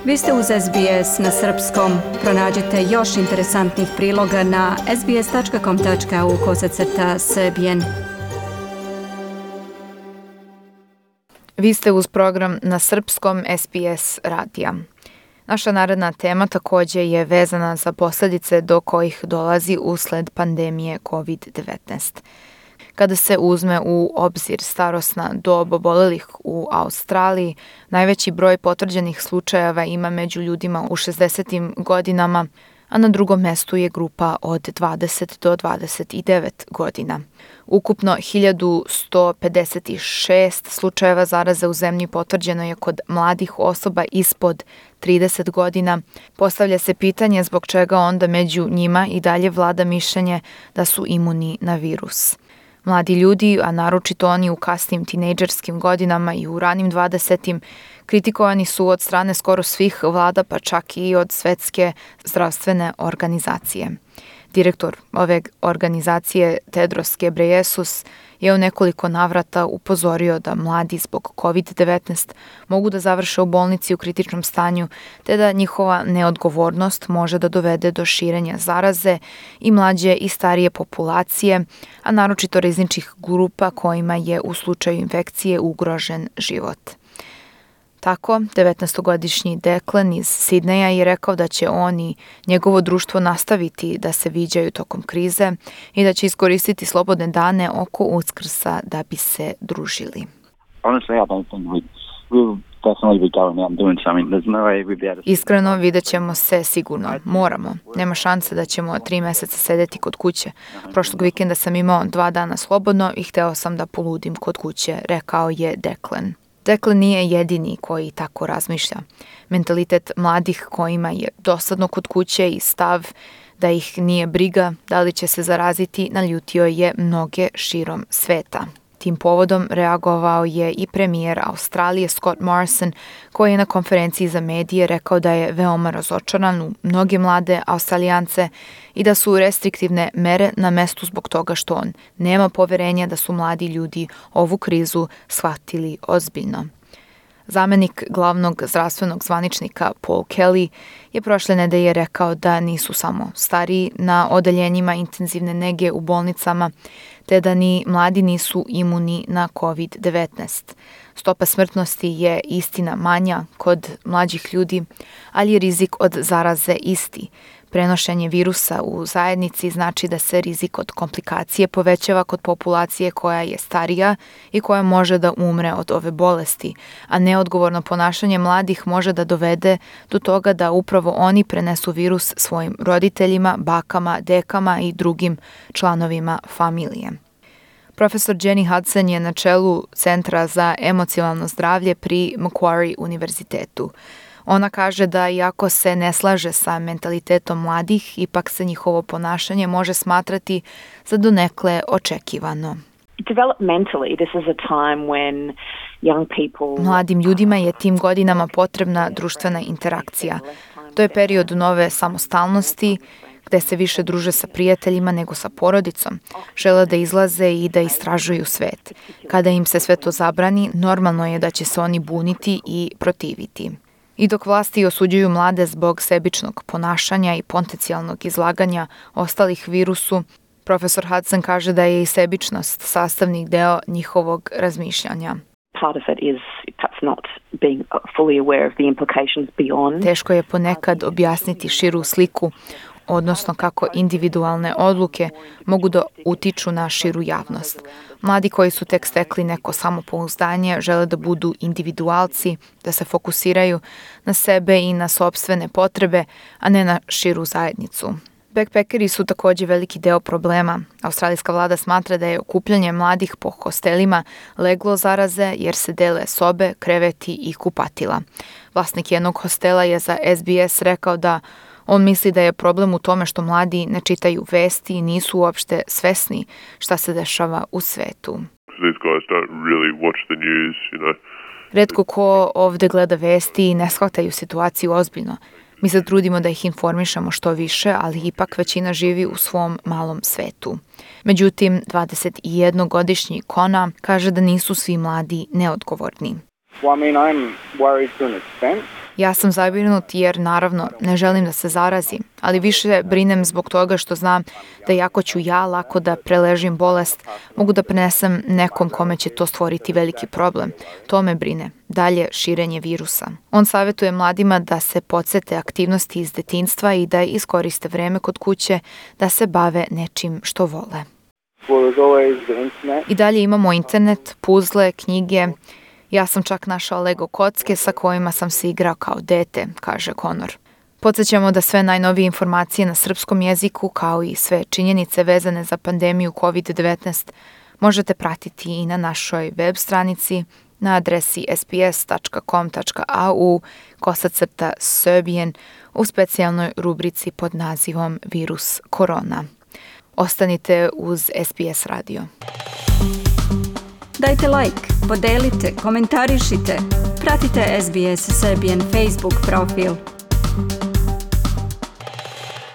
Vi ste uz SBS na srpskom. Pronađite još interesantnih priloga na sbs.com.au/srbijen. Vi ste uz program na srpskom SBS radija. Naša naredna tema također je vezana za posljedice do kojih dolazi usled pandemije COVID-19. Kada se uzme u obzir starosna dob obolelih u Australiji, najveći broj potvrđenih slučajeva ima među ljudima u 60. godinama, a na drugom mjestu je grupa od 20 do 29 godina. Ukupno 1156 slučajeva zaraze u zemlji potvrđeno je kod mladih osoba ispod 30 godina. Postavlja se pitanje zbog čega onda među njima i dalje vlada mišljenje da su imuni na virus. Mladi ljudi, a naročito oni u kasnim tinejdžerskim godinama i u ranim 20. kritikovani su od strane skoro svih vlada, pa čak i od Svjetske zdravstvene organizacije. Direktor ove organizacije Tedros Ghebreyesus je u nekoliko navrata upozorio da mladi zbog COVID-19 mogu da završe u bolnici u kritičnom stanju, te da njihova neodgovornost može da dovede do širenja zaraze i mlađe i starije populacije, a naročito rizičnih grupa kojima je u slučaju infekcije ugrožen život. Tako, 19-godišnji Declan iz Sidneja je rekao da će on i njegovo društvo nastaviti da se viđaju tokom krize i da će iskoristiti slobodne dane oko Uskrsa da bi se družili. Iskreno, vidjet ćemo se sigurno. Moramo. Nema šanse da ćemo 3 mjeseca sedeti kod kuće. Prošlog vikenda sam imao 2 dana slobodno i hteo sam da poludim kod kuće, rekao je Declan. Declan nije jedini koji tako razmišlja. Mentalitet mladih kojima je dosadno kod kuće i stav da ih nije briga da li će se zaraziti naljutio je mnoge širom sveta. Tim povodom reagovao je i premijer Australije Scott Morrison, koji je na konferenciji za medije rekao da je veoma razočaran u mnoge mlade Australijance i da su restriktivne mere na mestu zbog toga što on nema poverenja da su mladi ljudi ovu krizu shvatili ozbiljno. Zamenik glavnog zdravstvenog zvaničnika Paul Kelly je prošle nedelje rekao da nisu samo stariji na odeljenjima intenzivne nege u bolnicama, te da ni mladi nisu imuni na COVID-19. Stopa smrtnosti je istina manja kod mlađih ljudi, ali je rizik od zaraze isti. Prenošenje virusa u zajednici znači da se rizik od komplikacije povećava kod populacije koja je starija i koja može da umre od ove bolesti, a neodgovorno ponašanje mladih može da dovede do toga da upravo oni prenesu virus svojim roditeljima, bakama, dekama i drugim članovima familije. Profesor Jenny Hudson je na čelu Centra za emocionalno zdravlje pri Macquarie univerzitetu. Ona kaže da iako se ne slaže sa mentalitetom mladih, ipak se njihovo ponašanje može smatrati za donekle očekivano. Mladim ljudima je tim godinama potrebna društvena interakcija. To je period nove samostalnosti, gde se više druže sa prijateljima nego sa porodicom, žele da izlaze i da istražuju svet. Kada im se sve to zabrani, normalno je da će se oni buniti i protiviti. I dok vlasti osuđuju mlade zbog sebičnog ponašanja i potencijalnog izlaganja ostalih virusu, profesor Hudson kaže da je i sebičnost sastavni deo njihovog razmišljanja. Teško je ponekad objasniti širu sliku, odnosno kako individualne odluke mogu da utiču na širu javnost. Mladi koji su tek stekli neko samopouzdanje žele da budu individualci, da se fokusiraju na sebe i na sopstvene potrebe, a ne na širu zajednicu. Backpackeri su također veliki deo problema. Australijska vlada smatra da je okupljanje mladih po hostelima leglo zaraze jer se dele sobe, kreveti i kupatila. Vlasnik jednog hostela je za SBS rekao da on misli da je problem u tome što mladi ne čitaju vesti i nisu uopšte svesni šta se dešava u svetu. Retko ko ovde gleda vesti i ne shvataju situaciju ozbiljno. Mi se trudimo da ih informišemo što više, ali ipak većina živi u svom malom svetu. Međutim, 21-godišnji Kona kaže da nisu svi mladi neodgovorni. Ja sam zabrinut jer naravno ne želim da se zarazim, ali više brinem zbog toga što znam da iako ću ja lako da preležim bolest, mogu da prenesem nekom kome će to stvoriti veliki problem. To me brine. Dalje širenje virusa. On savjetuje mladima da se podsete aktivnosti iz detinjstva i da iskoriste vreme kod kuće da se bave nečim što vole. I dalje imamo internet, puzle, knjige. Ja sam čak našao Lego kocke sa kojima sam se igrao kao dete, kaže Conor. Podsjećamo da sve najnovije informacije na srpskom jeziku, kao i sve činjenice vezane za pandemiju COVID-19, možete pratiti i na našoj web stranici na adresi sps.com.au/Serbian u specijalnoj rubrici pod nazivom Virus korona. Ostanite uz SBS radio. Dajte like, podelite, komentarišite. Pratite SBS Serbian Facebook profil.